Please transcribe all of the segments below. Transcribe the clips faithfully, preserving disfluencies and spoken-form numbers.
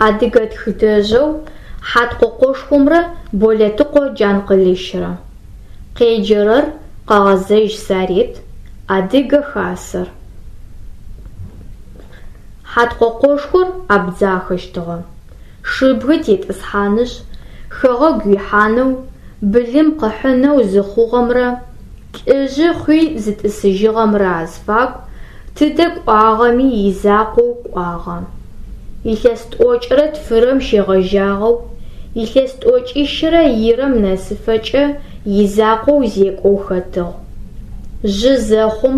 Адыгэ тхыдэжъэу Хьаткъокъошхомрэ Болэтыкъо Джанкъылыщрэ. Къеджэрэр Къэгъэзэжь Сарет, Адыгэ Хасэр. Хьаткъокъошхор абдзахэщтыгъэ. Шыбгы тетӏысхьанышъ, хэгъэгу ихьанэу, былым къыхьынэу зыхъугъэмрэ лӏыжъы хъуи зытӏысыжьыгъэмрэ азфагу тыдэ кӏуагъэми изакъоу кӏуагъэ. Илъэс тӏокӏырэ тфырэм щегъэжьагъэу илъэс тӏокӏищырэ ирэм нэсыфэкӏэ изакъоу зекӏоу хэтыгъ. Жъы зэхъум,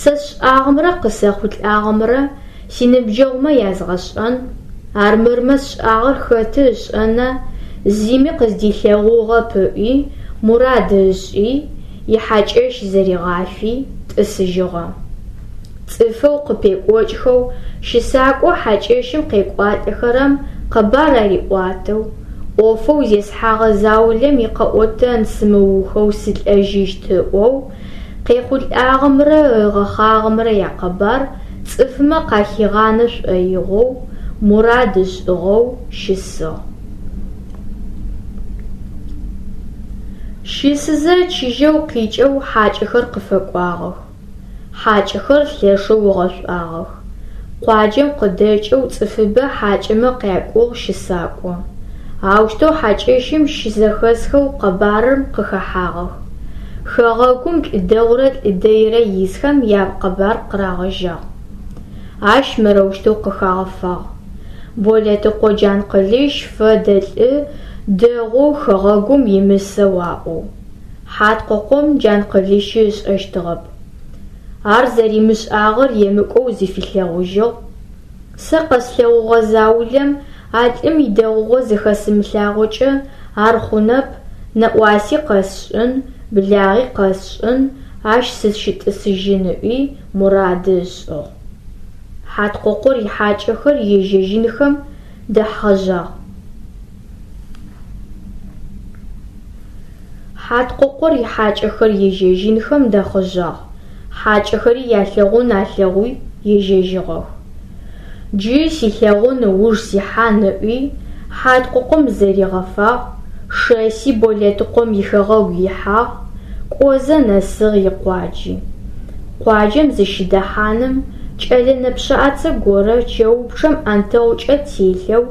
сэ сшӏагъэмрэ къысэхъулӏагъэмрэ синыбджэгъумэ язгъэшӏэн, армырмэ сшӏагъэр хэты ышӏэна, зыми къыздилъэгъугъэп ыӏуи, мурад ышӏи, ихьакӏэщ зэригъафи, тӏысыжьыгъэ. Цӏыфэу къыпекӏокӏхэу, щысакӏо хьакӏэщым къекӏуалӏэхэрэм къэбар ариӏуатэу, ӏофэу зесхьагъэ заулэм икъэӏотэн сымыухэу сылӏэжьыщт ыӏоу, къехъулӏагъэмрэ ыгъэхъагъэмрэ якъэбар цӏыфмэ къахигъанэ шӏоигъоу, мурад ышӏыгъэу щысыгъ. Щысызэ чыжьэу къикӏэу хьакӏэхэр къыфэкӏуагъэх. Хьакӏэхэр лъэшэу ыгъэшӏуагъэх. Къуаджэм къыдэкӏэу цӏыфыбэ хьакӏэмэ къякӏугъ щысакӏо. Аущтэу хьакӏэщым щызэхэсхэу къэбарым къыхэхьагъэх. Хэгъэгум лӏы дэгъурэ лӏы дэйрэ исхэм якъэбар къырагъэжьагъ. Ащ мырэущтэу къыхагъэфагъ: Болэтыкъо Джанкъылыщ фэдэ лӏы дэгъоу хэгъэгум имысэу аӏоу. Хьаткъокъом Джанкъылыщи ышӏэщтыгъэп. Ар зэримышӏагъэр емыкӏоу зыфилъэгъужьыгъ. Сэ къэслъэгъугъэ заулэм а лӏым идэгъугъэ зыхэсымылъагъокӏэ ар хъунэп, нэӏуаси къэсшӏын, благъи къэсшӏын, ащ сыщытӏысыжьын ыӏуи мурады ышӏыгъ. Хьаткъокъор ихьакӏэхэр ежьэжьынхэм дэхъыжьагъ. Хьаткъокъор ихьакӏэхэр ежьэжьынхэм дэхъыжьагъ. Хьакӏэхэри ялъэгъун алъэгъуи ежьэжьыгъэх. Джы силъэгъун ыуж сихьан ыӏуи, Хьаткъокъом зэригъэфагъ, шэси Болэтыкъом ихэгъэгу ихьагъ, кӏозэ нэсыгъ икъуаджи. Къуаджэм зыщыдэхьаным кӏэлэ нэпшӏаце горэ чэупчъэм ӏэнтэгъукӏэ телъэу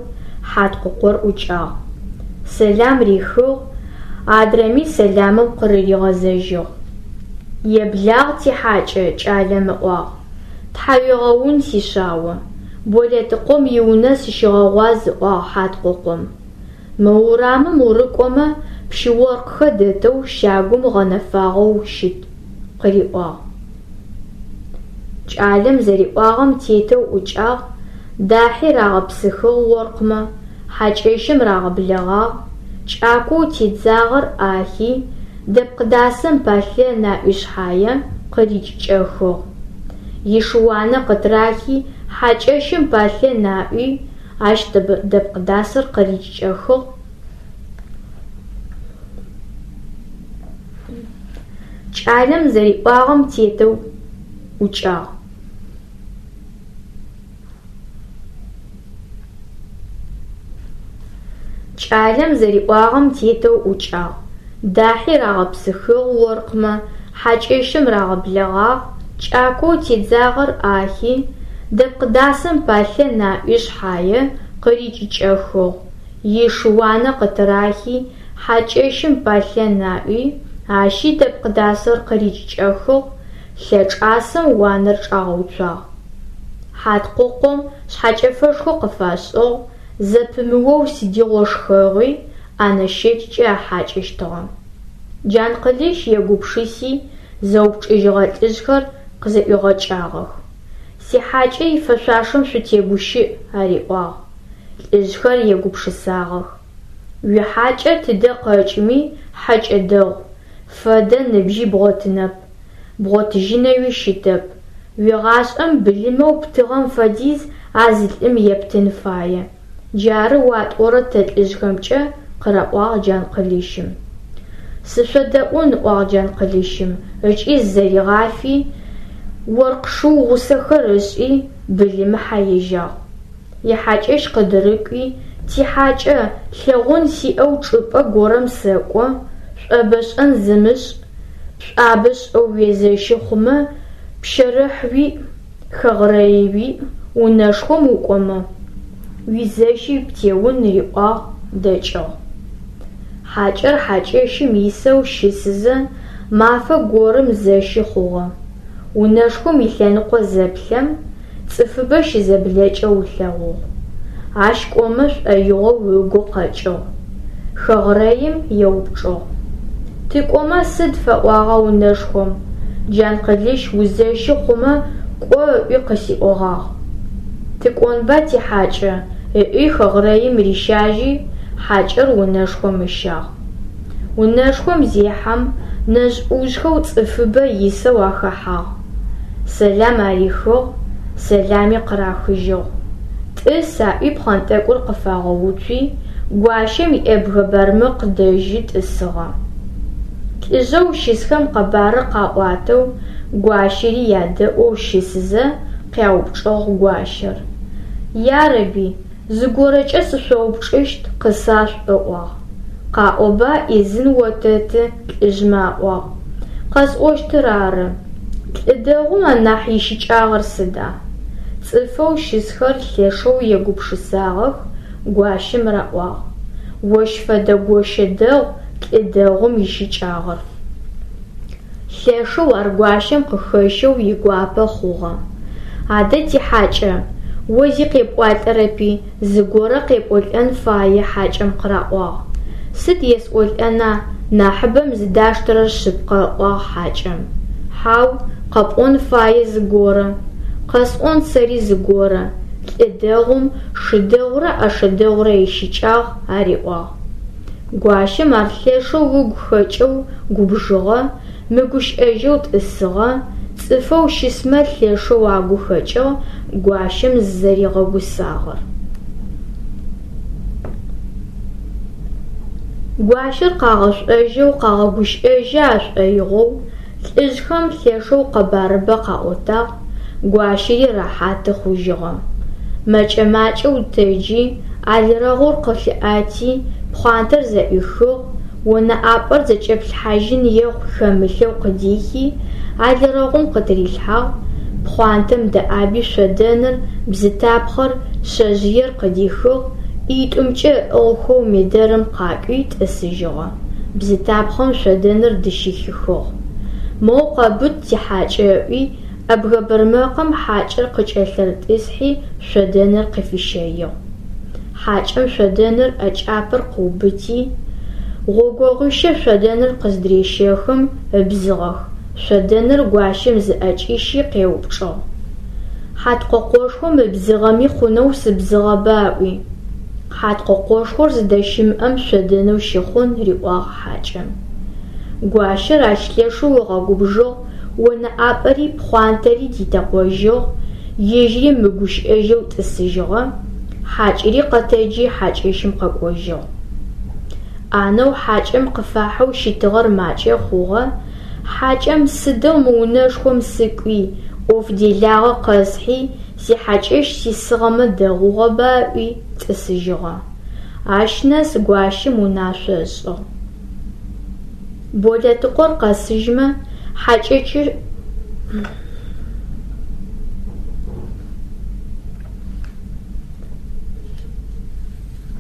Хьаткъокъор ӏукӏагъ. Сэлам рихыгъ, адрэми сэламым къырыригъэзэжьыгъ. Еблагъ тихьакӏэ, кӏалэм ыӏуагъ. Тхьауегъэун, сишъао. Болэтыкъом иунэ сыщыгъэгъуаз, ыӏуагъ Хьаткъокъом. Мы урамым урыкӏомэ, пщы-оркъхэр дэтэу щагум гъэнэфагъэу щыт, къыриӏуагъ. Кӏалэм зэриӏуагъэм тетэу ӏукӏагъ, дахьи рагъэпсыхыгъ оркъмэ, хьакӏэщым рагъэблэгъагъ, кӏакоу тедзагъэр ӏахи, дэпкъдасэм палъэ наӏуи шъхьае, къырикӏыкӏэхыгъ. Ишыуанэ къытырахи, хьакӏэщым палъэ наӏуи, ащ дэпкъдасэр къырикӏыкӏэхыгъ. Кӏалэм зэриӏуагъэм тетэу ӏукӏагъ. Кӏалэм зэриӏуагъэм тетэу ӏукӏагъ, дахьи рагъэпсыхыгъ оркъмэ, хьакӏэщым рагъэблэгъагъ, кӏакоу тедзагъэр ӏахи, дэпкъдасэм палъэ наӏуи шъхьае, къырикӏыкӏэхыгъ. Ишыуанэ къытырахи, хьакӏэщым палъэ наӏуи, ащи дэпкъдасэр къырикӏыкӏэхыгъ, лъэчӏасэм уанэр чӏагъэуцуагъ. Хьаткъокъом шъхьэкӏэфэшхо къыфашӏыгъ, зэпымыоу сыдигъо шхэгъуи ӏэнэ щэкӏкӏэ ахьакӏэщтыгъэ. Джанкъылыщ егупшыси, зэупчӏыжьыгъэ лӏыжъхэр къызэӏуигъэкӏагъэх. Сихьакӏэ ифэшъуашэм шъутегущыӏ, ариӏуагъ. Лӏыжъхэр егупшысагъэх. Уихьакӏэ тыдэ къэкӏми хьэкӏэ дэгъу, фэдэ ныбжьи бгъотынэп, бгъотыжьынэуи щытэп. Уигъашӏэм былымэу птыгъэм фэдиз а зы лӏым ептын фае. Джары уатӏорэр тэ лӏыжъхэмкӏэ, къыраӏуагъ Джанкъылыщым. Сышъодэӏун, ыӏуагъ Джанкъылыщым, ыкӏи зызэригъафи, оркъ шыу гъусэхэр ышӏи, былымыхьэ ежьагъ. Ихьакӏэщ къыдырыкӏуи, тихьакӏэ, лъэгъун сиӏэу чӏыпӏэ горэм сэкӏо, шӏобэ шӏэн зымышӏ, пшӏуабэ шӏэу уезэщы хъумэ, пщэрыхь уиӏ, хэгърэи уиӏ, унэшхом укӏомэ, уизэщи птеун риӏуагъ, дэкӏыгъ. Хьакӏэр хьакӏэщым исэу щысызэ, мафэ горэм зэщы хъугъэ. Унэшхом илъэныкъо зэплъэм, цӏыфыбэ щызэблэкӏэу ылъэгъугъ. Ащ кӏомэ шӏоигъоу ыгу къэкӏыгъ. Хэгърэим еупчӏыгъ: Тыкӏомэ сыд фэӏуагъа унэшхом? Джанкъылыщ узэщы хъумэ кӏо ыӏуи къысиӏогъагъ. Тыкӏонба тихьакӏэ, ыӏуи хэгърэим рищажьи, хьакӏэр унэшхом ыщагъ. Унэшхом зехьэм, нэжъ-ӏужъхэу цӏыфыбэ исэу ахэхьагъ. Сэлам арихыгъ, сэлами къырахыжьыгъ. Тӏыс аӏуи пхъэнтӏэкӏур къыфагъэуцуи, гуащэм иӏэбгэ бармэкъ дэжьы тӏысыгъэ. Лӏыжъэу щысхэм къэбарыр къаӏуатэу, гуащэри ядэӏоу щысызэ, къяупчӏыгъ гуащэр: Ярэби, зыгорэкӏэ сышъоупчӏыщт, къысашъуӏу ыӏуагъ. Къаӏоба, ӏизын отэты, лӏыжъмэ аӏуагъ. Къэсӏощтыр ары: лӏы дэгъум анахь ищыкӏагъэр сыда? Цӏыфэу щысхэр лъэшэу егупшысагъэх, гуащэм раӏуагъ: Ощ фэдэ гощэ дэгъу лӏы дэгъум ищыкӏагъэр. Лъэшэу ар гуащэм къыхэщэу игуапэ хъугъэ. Адэ тихьакӏэ, о зи къепӏуалӏэрэпи, зыгорэ къепӏолӏэн фае хьакӏэм къыраӏуагъ. Сыд есӏолӏэна, нахьыбэм зыдаштэрэр шъыпкъэ, ыӏуагъ хьакӏэм. Хьау, къэпӏон фае зыгорэ. Къэсӏон сэри зыгорэ: лӏы дэгъум шы дэгъурэ ӏэшэ дэгъурэ ищыкӏагъ, ариӏуагъ. Гуащэм ар лъэшэу ыгу хэкӏэу губжыгъэ, мыгущыӏэжьэу тӏысыгъэ, цӏыфэу щысмэ лъэшэу агу хэкӏыгъ гуащэм зызэригъэгусагъэр. Гуащэр къагъэшӏожьэу къагъэгущыӏэжьы ашӏоигъоу лӏыжъхэм лъэшэу къэбарыбэ къаӏотагъ, гуащэри рэхьаты хъужьыгъэ. Мэкӏэ-макӏэу тэджи, алрэгъур къылъыӏэти, пхъуантэр зэӏуихыгъ, онэ ӏапӏэр зэкӏэплъхьажьын ехъу хэмылъэу къыдихи, алрэгъум къытырилъхьагъ, пхъуантэм дэӏаби шъодэныр, бзытапхъэр, шъэжъыер къыдихыгъ, ӏитӏумкӏэ ыӏыгъхэу медэрым къакӏуи тӏысыжьыгъэ, бзытапхъэм шъодэныр дыщыхихыгъ. Моу къэбыт тихьакӏэ ыӏуи, ӏэбгэ бармэкъым хьакӏэр къыкӏэлъырытӏысхьи шъодэныр къыфищэигъ. Хьакӏэм шъодэныр ӏэкӏапэр къыубыти, гъогогъуищэ шъодэныр къыздырещэхым ыбзыгъэх, шъодэныр гуащэм зыӏэкӏищи къеупчӏыгъ: Хьаткъокъошхом ыбзыгъэми хъунэу сыбзыгъэба ыӏуи. Хьаткъокъошхор зыдэщымыӏэм шъодэнэу щыхъун, риӏуагъ хьакӏэм. Гуащэр ащ лъэшэу ыгъэгубжыгъ, онэ ӏапӏэри пхъуантэри дитэкъожьыгъ, ежьыри мыгущыӏэжьэу тӏысыжьыгъэ, хьакӏэри къэтэджи хьакӏэщым къэкӏожьыгъ. ӏанэу хьакӏэм къыфахьэу щытыгъэр макӏэ хъугъэ, хьакӏэм сыдэу мы унэшхом сыкӏуи, ӏоф делагъэ къэсхьи, сихьакӏэщ сисыгъэмэ дэгъугъэба ыӏуи тӏысыжьыгъэ. Ащ нэс гуащэм унашъо ышӏыгъ. Болэтыкъор къэсыжьмэ, хьакӏэщыр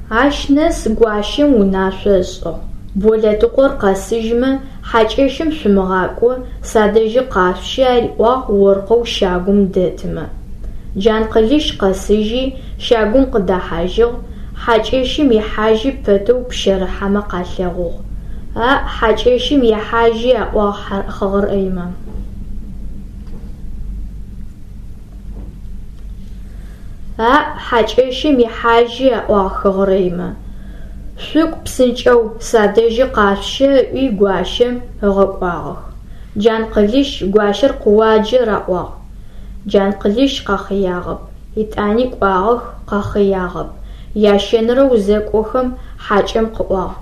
Ащ нэс гуащэм унашъо ышӏыгъ: Болэтыкъор къэсыжьмэ, хьакӏэщым шъумыгъакӏо, садэжьы къашъущэ, ариӏуагъ оркъэу щагум дэтымэ. Джанкъылыщ къэсыжьи, щагум къыдэхьажьыгъ, хьакӏэщым ихьажьи пэтэу пщэрыхьэмэ къалъэгъугъ. Аӏ, хьакӏэщым ехьажьи, аӏуагъ хэгърэймэ. Аӏ, хьакӏэщым ихьажьи, аӏуагъ хэгърэймэ. Шъукӏу псынкӏэу, садэжьы къашъущэ, ыӏуи гуащэм ыгъэкӏуагъэх. Джанкъылыщ гуащэр къыуаджэ, раӏуагъ. Джанкъылыщ къэхъыягъэп, етӏани кӏуагъэх, къэхъыягъэп. Ящэнэрэу зэкӏохэм хьакӏэм къыӏуагъ: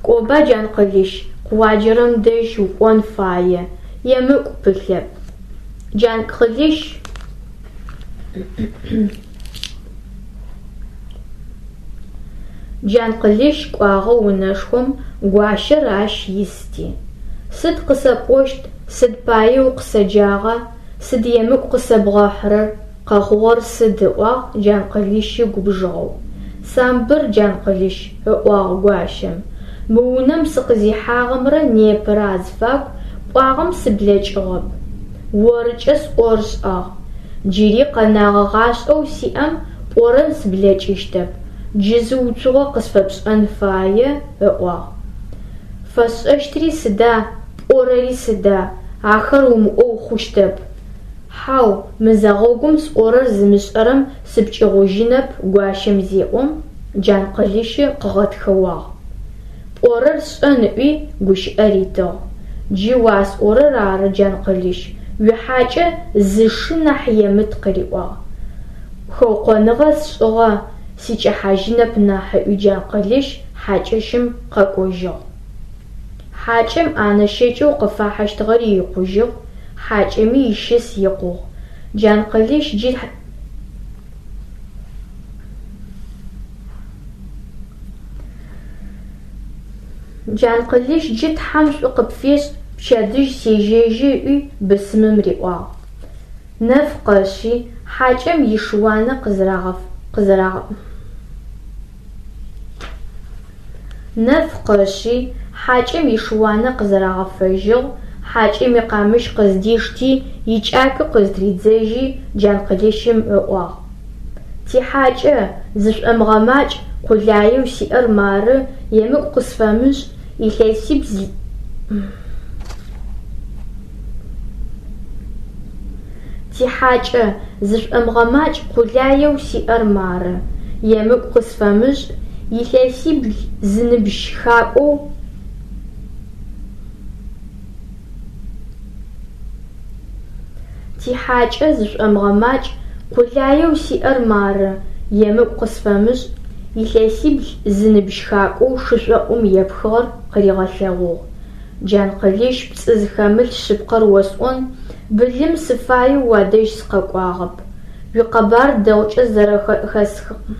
Кӏоба, Джанкъылыщ, къыуаджэрэм дэжь укӏон фае, емыкӏу пылъэп. Джанкъылыщ Джанкъылыщ кӏуагъэ унэшхом, гуащэр ащ исти. Сыд къысэпӏощт, сыд пае укъысэджагъа, сыд емыкӏу къысэбгъэхьырэр, къэхъугъэр сыд, ыӏуагъ Джанкъылыщи губжыгъэу. Самбыр, Джанкъылыщ, ыӏуагъ гуащэм, мы унэм сыкъызихьагъэмрэ непэрэ азыфагу пӏуагъэм сыблэкӏыгъэп. Орыкӏэ сӏорышӏагъ. Джыри къэнагъэ гъашӏэу сиӏэм пӏорэм сыблэкӏыщтэп, джы зы уцугъо къысфэпшӏэн фае, ыӏуагъ. Фэсшӏэщтыри сыда, пӏорэри сыда, ахэр умыӏоу хъущтэп. Хьау, мызэгъэгум сӏорэр зымышӏэрэм сыпкӏыгъужьынэп, гуащэм зеӏом, Джанкъылыщы къыгъэтхыуагъ. Пӏорэр сшӏэн ыӏуи гущыӏэ ритыгъ. Джы уасӏорэр ары, Джанкъылыщ, уихьакӏэ зы шы нахь емыт къыриӏуагъ. Хэукъоныгъэ сшӏыгъэ, сыкӏэхьажьынэп нахь, ыӏуи Джанкъылыщ хьакӏэщым къэкӏожьыгъ. Хьакӏэм ӏанэ щэкӏэу къыфахьыщтыгъэри икъужьыгъ, хьакӏэми ищыс икъугъ. Джанкъылыщ джы Джанкъылыщ джы Тхьэм шӏу къыпфешӏ, пчэдыжь сежьэжьы ыӏуи бысымым риӏуагъ. Нэф къэшъи, хьакӏэм ишыуанэ къызэрагъэ Нэф къэшъи, хьакӏэм ишыуанэ къызэрагъэфэжьыгъ, хьакӏэм икъамыщ къыздишти, икӏакуи къызтридзэжьи, Джанкъылыщым ыӏуагъ: Тихьакӏэ, зышӏомыгъэмакӏ, къулаеу сиӏэр мары, емыкӏу къысфэмышӏ, илъэсибл Тихьакӏэ, зышӏомыгъэмакӏ, къулаеу сиӏэр мары, емыкӏу къысфэмышӏ, илъэсибл зыныбжь шхакӏоу Тихьакӏэ, зышӏомыгъэмакӏ, къулаеу сиӏэр мары, емыкӏу къысфэмышӏ, илъэсибл зыныбжь шхакӏоу шышӏоӏум епхыгъэр къыригъэлъэгъугъ. Джанкъылыщ пцӏы зыхэмылъ шъыпкъэр осӏон, былым сыфаеу уадэжь сыкъэкӏуагъэп. Уикъэбар дэгъукӏэ зэрэзэхэсхыгъэм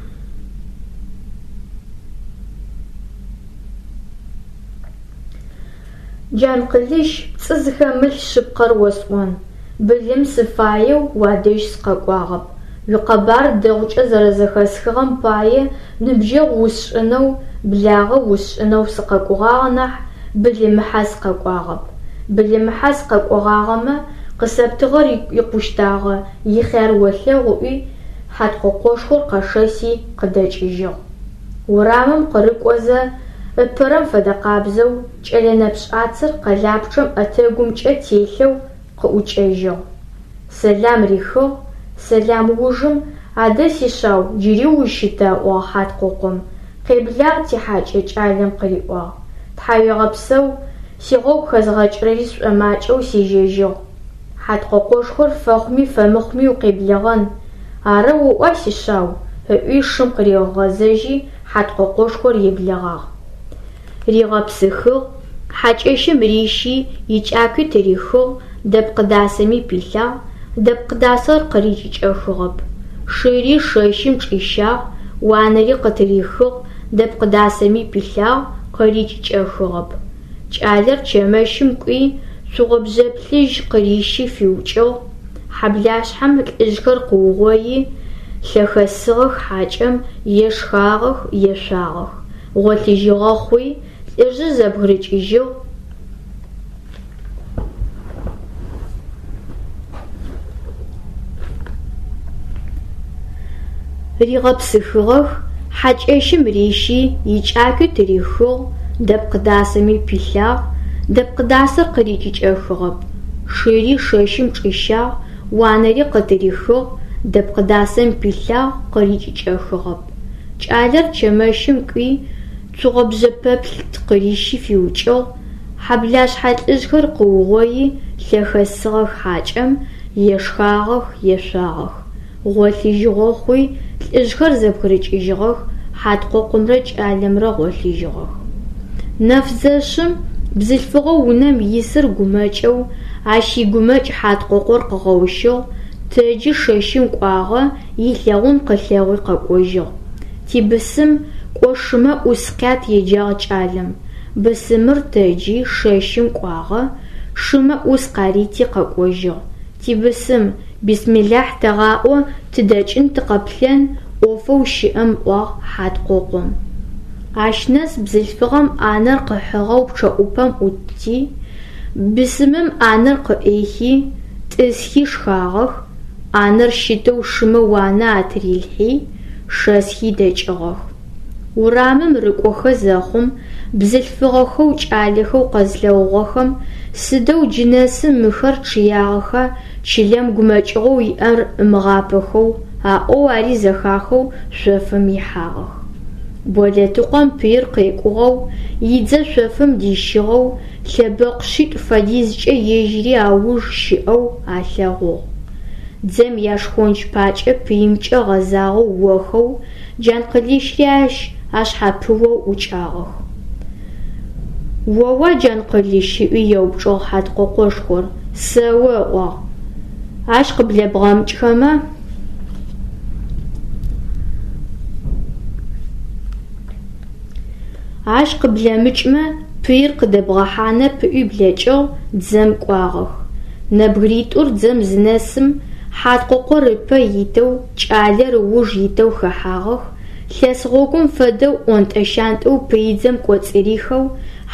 Джанкъылыщ, пцӏы зыхэмылъ шъыпкъэр осӏон, былым сыфаеу уадэжь сыкъэкӏуагъэп. Уикъэбар дэгъукӏэ зэрэзэхэсхыгъэм пае ныбджэгъу усшӏынэу, благъэ усшӏынэу сыкъэкӏогъагъ нахь, былымыхьэ сыкъэкӏуагъэп. Былымыхьэ сыкъэкӏогъагъэмэ, къысэптыгъэр икъущтагъэ, ихъяр олъэгъу ыӏуи, Хьаткъокъошхор къэшэси къыдэкӏыжьыгъ. Урамым къырыкӏозэ, ыпэрэм фэдэкъабзэу, кӏэлэ нэпшӏацэр къэлапчъэм ӏэтэгумкӏэ телъэу къыӏукӏэжьыгъ. Сэлам рихыгъ, сэлам ужым «Адэ, сишъау, джыри ущыта?» ыӏуагъ Хьаткъокъом. «Къеблагъ, тихьакӏэ», кӏалэм къыриӏуагъ. Тхьауегъэпсэу, сигъогу хэзгъэкӏырэри сшӏомакӏэу сежьэжьыгъ. Хьаткъокъошхор фэхъуми фэмыхъуми укъеблэгъэн. Арэу оӏуа, сишъау? Ыӏуи шым къыригъэгъэзэжьи, Хьаткъокъошхор еблэгъагъ. Ригъэпсыхыгъ, хьакӏэщым рищи, икӏакуи тырихыгъ, дэпкъ дасэми пилъагъ, дэпкъ дасэр къырикӏыкӏэхыгъэп. Шыри шэщым чӏищагъ, уанэри къытырихыгъ, дэпкъ дасэми пилъагъ, къырикӏыкӏэхыгъэп. Кӏалэр чэмэщым кӏуи, цугъобжъэ плъыжь къырищи фиукӏыгъ. Хьэблашъхьэм лӏыжъхэр къыугъои, лъэхэсыгъэх хьакӏэм, ешхагъэх, ешъуагъэх. Гъолъыжьыгъэ хъуи, лӏыжъыр зэбгырыкӏыжьыгъ. Ригъэпсыхыгъэх, хьакӏэщым рищи, икӏакуи тырихыгъ, дэпкъ дасэми пилъагъ, дэпкъ дасэр къырикӏыкӏэхыгъэп. Шыри шэщым чӏищагъ, уанэри къытырихыгъ, дэпкъ дасэм пилъагъ, къырикӏыкӏэхыгъэп. Кӏалэр чэмэщым кӏуи, цугъобжъэ пэплъ къырищи фиукӏыгъ. Хьэблашъхьэ лӏыжъхэр къыугъои, лъэхэсыгъэх хьакӏэм, ешхагъэх, ешъуагъэх. Гъолъыжьыгъо хъуи, лӏыжъхэр зэбгырыкӏыжьыгъэх, Хьаткъокъомрэ кӏалэмрэ гъолъыжьыгъэх. Нэф зэшъым бзылъфыгъэу унэм исыр гумэкӏэу, ащ игумэкӏ Хьаткъокъор къыгъэущыгъ, тэджи шэщым кӏуагъэ, илъэгъун къылъэгъуи къэкӏожьыгъ. Тибысым Кӏо шымэ ӏус къят еджагъ кӏалэм. Бысымыр тэджи шэщым кӏуагъэ, шымэ ӏус къарити къэкӏожьыгъ. Тибысым, бисмилахь тэгъаӏо, тыдэкӏын тыкъэплъэн, ӏофэу щыӏэм ыӏуагъ Хьаткъокъом. Ащ нэс бзылъфыгъэм ӏанэр къыхьыгъэу пчъэӏупэм ӏутти, бысымым ӏанэр къыӏихи, тӏысхи шхагъэх, ӏанэр щытэу шымэ уанэ атырилъхьи, шэсхи дэкӏыгъэх. Урамым рыкӏохэ зэхъум, бзылъфыгъэхэу кӏалэхэу къэзлъэгъугъэхэм сыдэу джынэсым мыхэр чъыягъэха чылэм гумэкӏыгъоу иӏэр ымыгъапэхэу, аӏоу ари зэхахэу шъофым ихьагъэх. Болэтыкъом пыир къекӏугъэу, идзэ шъофым дищыгъэу, лъэбэкъу шъитӏу фэдизкӏэ ежьыри ауж щыӏэу алъэгъугъ. Дзэм яшхонч пакӏэ пыимкӏэ гъэзагъэу охэу, Джанкъылыщри ащ ашъхьапыоу ӏукӏагъэх. Оуа Джанкъылыщ ыӏуи еупчӏыгъ Хьаткъокъошхор, сэо ыӏуагъ. Ащ къыблэбгъэмыкӏхэмэ Ащ къыблэмыкӏмэ пыир къыдэбгъэхьанэп ыӏуи блэкӏыгъ, дзэм кӏуагъэх. Нэбгыритӏур дзэм зынэсым, Хьаткъокъор ыпэ итэу, кӏалэр ыуж итэу хэхьагъэх, лъэс гъогум фэдэу ӏонтӏэ-щантӏэу пыидзэм кӏоцӏырихэу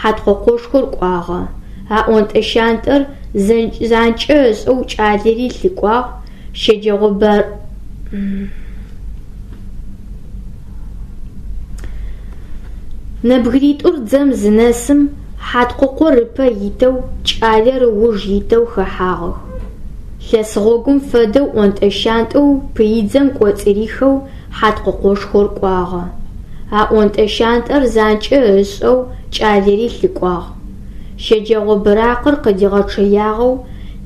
Хьаткъокъошхор кӏуагъэ. А ӏонтӏэ-щантӏэр занкӏэ ышӏэу кӏалэри лъыкӏуагъ, щэджэгъо Нэбгыритӏур дзэм зынэсым, Хьаткъокъор ыпэ итэу, кӏалэр ыуж итэу хэхьагъэх. Лъэс гъогум фэдэу ӏонтӏэ-щантӏэу пыидзэм кӏоцӏырихэу Хьаткъокъошхор кӏуагъэ. А ӏонтӏэ-щантӏэр занкӏэ ышӏэу кӏалэри лъыкӏуагъ. Щэджэгъо быракъыр къыдигъэчъэягъэу,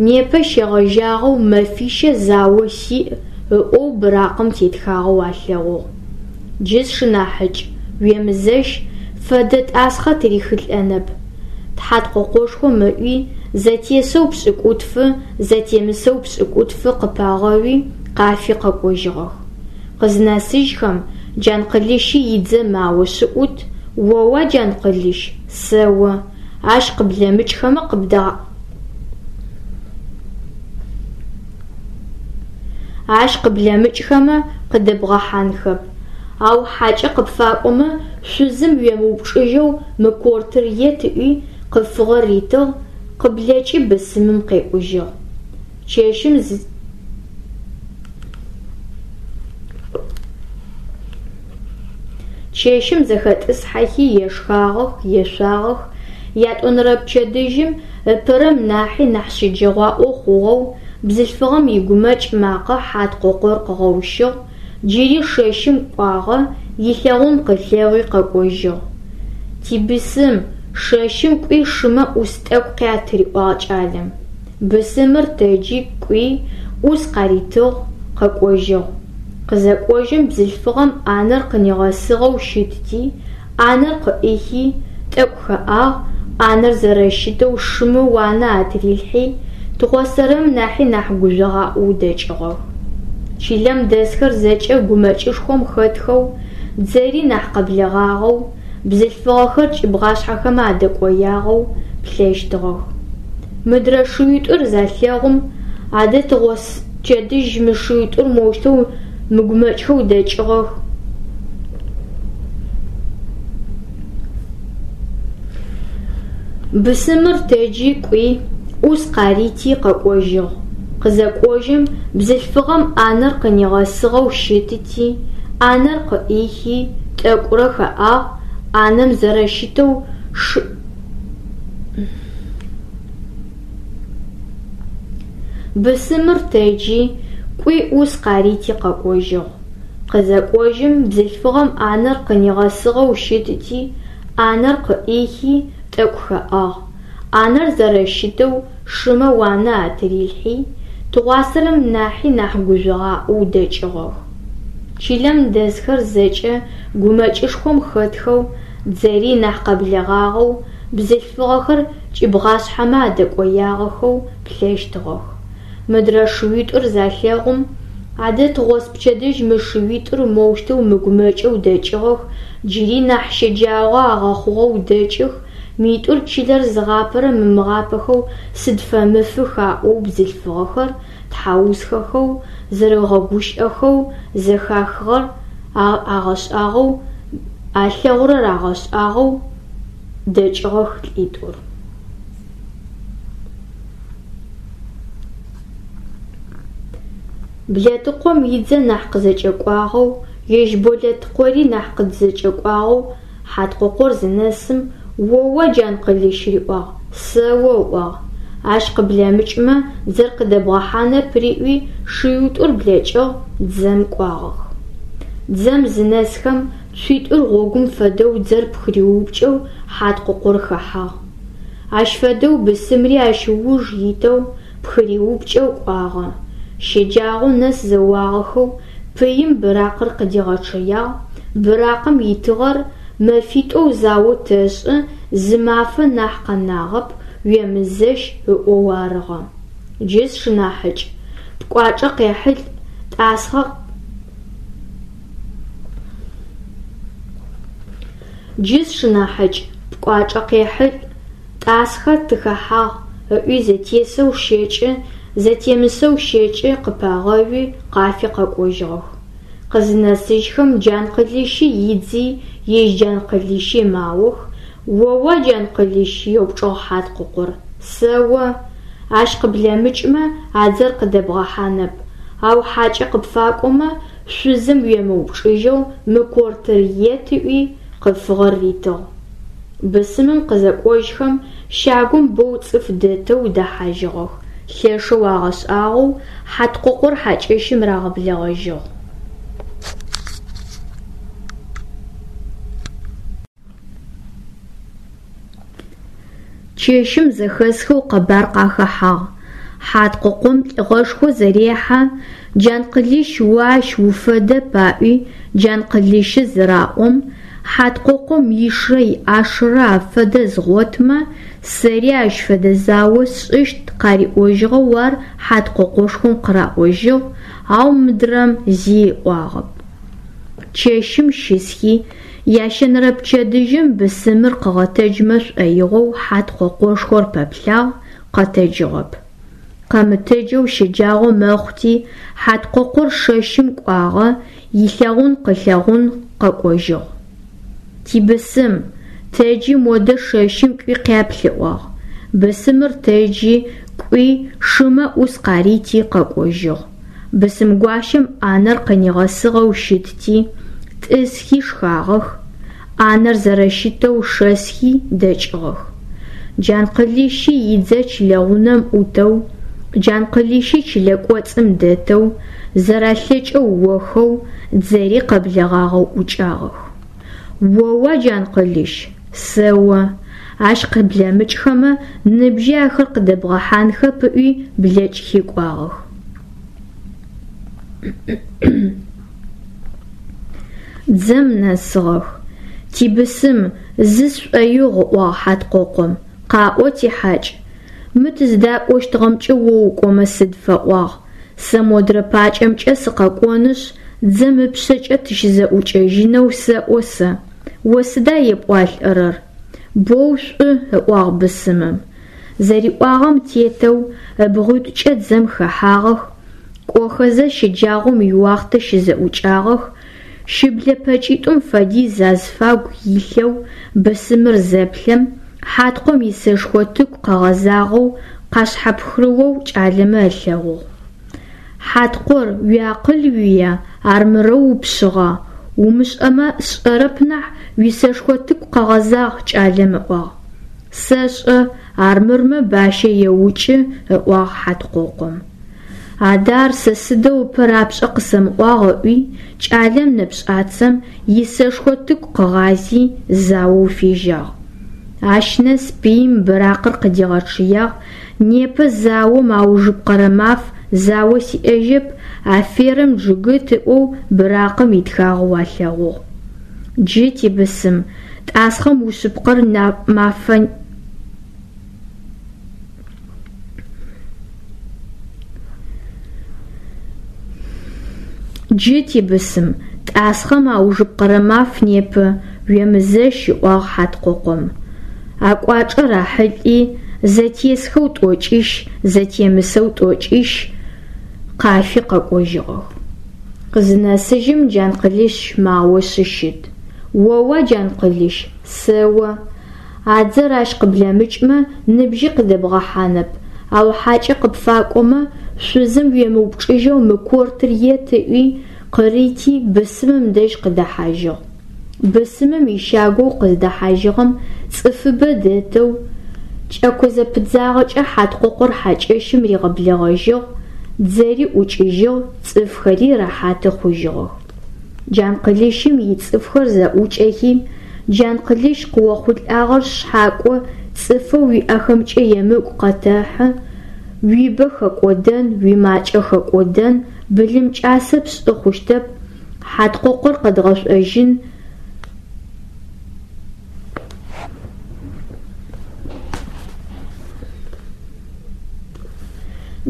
непэ щегъэжьагъэу мэфищэ зао сиӏ ыӏоу быракъым тетхагъэу алъэгъугъ. Джы сшынахьыкӏ, уемызэщ, фэдэ тӏасхъэ тырихылӏэнэп. Хьаткъокъошхом ыӏуи, зэтесэу пшӏыкӏутфы, зэтемысэу пшӏыкӏутфы къыпагъэуи, къафи къэкӏожьыгъэх. Къызнэсыжьхэм, Джанкъылыщи идзэ маошъы ӏут, оуа Джанкъылыщ, сэо, ащ къыблэмыкӏхэмэ къыбда Ащ къыблэмыкӏхэмэ къыдэбгъэхьанхэп, ау хьакӏэ къыпфакӏомэ шъузым уемыупчӏыжьэу мы кортыр ет ыӏуи къыфыгъэр ритыгъ, къыблэкӏи бысымым къекӏужьыгъ. Чэщым Чэщым зэхэтӏысхьэхи ешхагъэх, ешъуагъэх, ятӏонэрэ пчэдыжьым ыпэрэм нахьи нахь щэджэгъуаӏо хъугъэу бзылъфыгъэм игумэкӏ макъэ Хьаткъокъор къыгъэущыгъ, джыри шэщым кӏуагъэ, илъэгъун къылъэгъуи къэкӏожьыгъ. Тибысым, шэщым кӏуи шымэ ӏус тӏэкӏу къят риӏуагъ кӏалэм. Бысымыр тэджи кӏуи, ӏус къаритыгъ, къэкӏожьыгъ. Къызэкӏожьым бзылъфыгъэм ӏанэр къынигъэсыгъэу щытти, ӏанэр къыӏихи, тӏэкӏу хэӏагъ, ӏанэр зэрэщытэу шымэ уанэ атырилъхьи, тыгъосэрэм нахьи нахь гужъогъаӏоу дэкӏыгъэх. Чылэм дэсхэр зэкӏэ гумэкӏышхом хэтхэу, дзэри нахь къэблэгъагъэу, бзылъфыгъэхэр кӏыбгъашъхьэхэмэ адэкӏоягъэу плъэщтыгъэх. Мыдрэ шыуитӏур залъэгъум, адэ тыгъоспчэдыжь мы шыуитӏур моущтэу мыгумэкӏхэу дэкӏыгъэх. Бысымыр тэджи кӏуи, ӏус къарити къэкӏожьыгъ. Къызэкӏожьым бзылъфыгъэм ӏанэр къынигъэсыгъэу щытти, ӏанэр къыӏихи, тӏэкӏурэ хэӏагъ, ӏанэм зэрэщытэу шы Бысымыр тэджи, кӏуи ӏус къарити къэкӏожьыгъ. Къызэкӏожьым бзылъфыгъэм ӏанэр къынигъэсыгъэу щытти, ӏанэр къыӏихи, тӏэкӏу хэӏагъ, ӏанэр зэрэщытэу шымэ уанэ атырилъхьи, тыгъуасэрэм нахьи нахь гужъогъаӏоу дэкӏыгъэх. Чылэм дэсхэр зэкӏэ гумэкӏышхом хэтхэу, дзэри нахь къэблэгъагъэу, бзылъфыгъэхэр кӏыбгъашъхьэмэ адэкӏоягъэхэу плъэщтыгъэх. Мыдрэ шыуитӏур залъэгъум, Адэ тыгъоспчэдыжь мы шыуитӏур моущтэу мыгумэкӏэу дэкӏыгъэх, джыри нахь щэджагъо агъэхъугъэу дэкӏых, митӏур чылэр зыгъапэрэм ымыгъапэхэу сыд фэмыфых аӏоу бзылъфыгъэхэр тхьаусхэхэу, зэрэгъэгущыӏэхэу, зэхахыгъэр агъэшӏагъоу, алъэгъурэр агъэшӏагъоу дэкӏыгъэх лӏитӏур. Блэтыкъом идзэ нахь къызэкӏэкӏуагъэу, ежь Болэтыкъори нахь къызэкӏэкӏуагъэу Хьаткъохъор зынэсым, «О-о, Джанкъылыщ», риӏуагъ, «Сэо», ыӏуагъ. Ащ къыблэмыкӏмэ дзэр къыдэбгъэхьанэп риӏуи, шыуитӏур блэкӏыгъ, дзэм кӏуагъэх. Дзэм зынэсхэм, цуитӏур гъогум фэдэу дзэр пхыриупкӏэу Хьаткъохъор хэхьагъ. Ащ фэдэу бысымри ащ ыуж итэу пхыриупкӏэу кӏуагъэ. Щэджагъо нэс зэуагъэхэу пыим быракъыр къыдигъэчъэягъ, быракъым итыгъэр «Мэфитӏо зао тэшӏы, зы мафэ нахь къэнагъэп, уемызэщ» ыӏоу арыгъэ. Джы сшынахьыкӏ, пкӏуачӏэ къехьылӏ, тӏасхъэ Джы сшынахьыкӏ, пкӏуачӏэ къехьылӏ, тӏасхъэ тыхэхьагъ, ыӏуи зэтесэу щэкӏы, зэтемысэу щэкӏы къыпагъэуи къафи къэкӏожьыгъэх. Къызынэсыжьхэм Джанкъылыщи идзи, ежь Джанкъылыщи маох. «О-о, Джанкъылыщ», еупчӏыгъ Хьаткъохъор, «Сэо». Ащ къыблэмыкӏмэ а дзэр къыдэбгъэхьанэп, ау хьакӏэ къыпфакӏомэ, шъузым уемыупчӏыжьэу мы кортыр ет ыӏуи, къыфыгъэр ритыгъ. Бысымым къызэкӏожьхэм, щагум боу цӏыф дэтэу дэхьажьыгъэх, лъэшэу агъэшӏагъоу Хьаткъохъор хьакӏэщым рагъэблэгъэжьыгъ. Чэщым зэхэсхэу къэбар къахэхьагъ. Хьаткъокъом лӏыгъэшхо зэрехьэ, Джанкъылыщ о ащ уфэдэп аӏуи Джанкъылыщы зыраӏом, Хьаткъокъом ишрэ иӏашэрэ афэдэ згъотмэ, сэри ащ фэдэ зао сшӏыщт къариӏожьыгъэу ар Хьаткъокъошхом къыраӏожьыгъ, ау мыдрэм зи ыӏуагъэп. Чэщым щысхи, ящэнэрэ пчэдыжьым бысымыр къыгъэтэджмэ шӏоигъоу Хьаткъокъошхор пэплъагъ, къэтэджыгъэп. Къэмытэджэу щэджагъо мэхъути, Хьаткъохъор шэщым кӏуагъэ, илъэгъун къылъэгъун къэкӏожьыгъ. Тибысым, тэджи модэ шэщым кӏуи къяплъ, ыӏуагъ. Бысымыр тэджи, кӏуи, шымэ ӏус къарити къэкӏожьыгъ. Бысымгуащэм ӏанэр къынигъэсыгъэу щытти, тӏысхи шхагъэх, ӏанэр зэрэщытэу шэсхи дэкӏыгъэх. Джанкъылыщи идзэ чылэгъунэм ӏутэу, Джанкъылыщи чылэ кӏоцӏым дэтэу, зэралъэкӏэу охэу, дзэри къэблэгъагъэу ӏукӏагъэх. О-о, Джанкъылыщ, сэо, ащ къыблэмыкӏхэмэ, ныбжьи ахэр къыдэбгъэхьанхэп ыӏуи блэкӏхи кӏуагъэх. Дзэм нэсыгъэх. Тибысым, зы сшӏоигъу, ыӏуагъ Хьаткъокъом, къаӏо тихьакӏ. Мы тыздакӏощтыгъэмкӏэ о укӏомэ сыд фэӏуагъ, сэ модрэ пакӏэмкӏэ сыкъэкӏонышъ, дзэм ыпшъэкӏэ тыщызэӏукӏэжьынэу сэӏо сэ. О сыда епӏуалӏэрэр? Боу шӏу, ыӏуагъ бысымым. Зэриӏуагъэм тетэу ыбгъуитӏукӏэ дзэм хэхьагъэх, кӏохэзэ щэджагъом иуахътэ щызэӏукӏагъэх, шыблэ пэкӏитӏум фэдиз азыфагу илъэу бысымыр зэплъэм, Хьаткъом исэшхо тыку къэгъэзагъэу къашъхьэпхырыоу кӏалэмэ ылъэгъугъ. Хьаткъор, уиакъыл уия, армырэу упшъыгъа? Умышӏэмэ сшӏэрэп нахь, уисэшхо тыку къэгъэзагъ, кӏалэм ыӏуагъ. Сэшӏэ, армырмэ бащэ еукӏы, ыӏуагъ Хьаткъокъом. Адэ ар сэ сыдэу ыпэ рапшӏэ къысэмыӏуагъ ыӏуи, кӏалэм нэпшӏацэм исэшхо тыку къыгъази, заоу фежьагъ. Ащ нэс пыим быракъыр къыдигъэчъыягъ, непэ заом аужыпкъэрэ маф, зао сиӏэжьэп, аферэм джыгыт ыӏоу быракъым итхагъэу алъэгъугъ. Джы тибысым, тӏасхъэм ушъыпкъэр мафэ Джы, тибысым, тӏасхъэм аужыпкъэрэ маф непэ, уемызэщ, ыӏуагъ Хьаткъокъом. Акӏуачӏэ рахьылӏи, зэтесхэу тӏокӏищ, зэтемысэу тӏокӏищ къафи къэкӏожьыгъэх. Къызынэсыжьым Джанкъылыщ маошъы щыт. Оуа, Джанкъылыщ, сэо. А дзэр ащ къыблэмыкӏмэ, ныбжьи къыдэбгъэхьанэп, ау хьакӏэ къыпфакӏомэ, шъузым уемыупчӏыжьэу мы кортыр ет ыӏуи, къырити, бысымым дэжь къыдэхьажьыгъ. Бысымым ищагоу къыздэхьажьыгъэм цӏыфыбэ дэтэу, кӏэко зэпыдзагъэкӏэ Хьаткъокъор хьакӏэщым ригъэблэгъэжьыгъ, дзэри ӏукӏыжьыгъ, цӏыфхэри рэхьаты хъужьыгъэх. Джанкъылыщым ицӏыфхэр зэӏукӏэхи, Джанкъылыщ къыохъулӏагъэр шъхьакӏо, цӏыфэу уиӏэхэмкӏэ емыкӏу къэтэхьы, уибэ хэкӏодэн, уимакӏэ хэкӏодэн, былым кӏасэ пшӏы хъущтэп, Хьаткъокъор къэдгъэшӏожьын,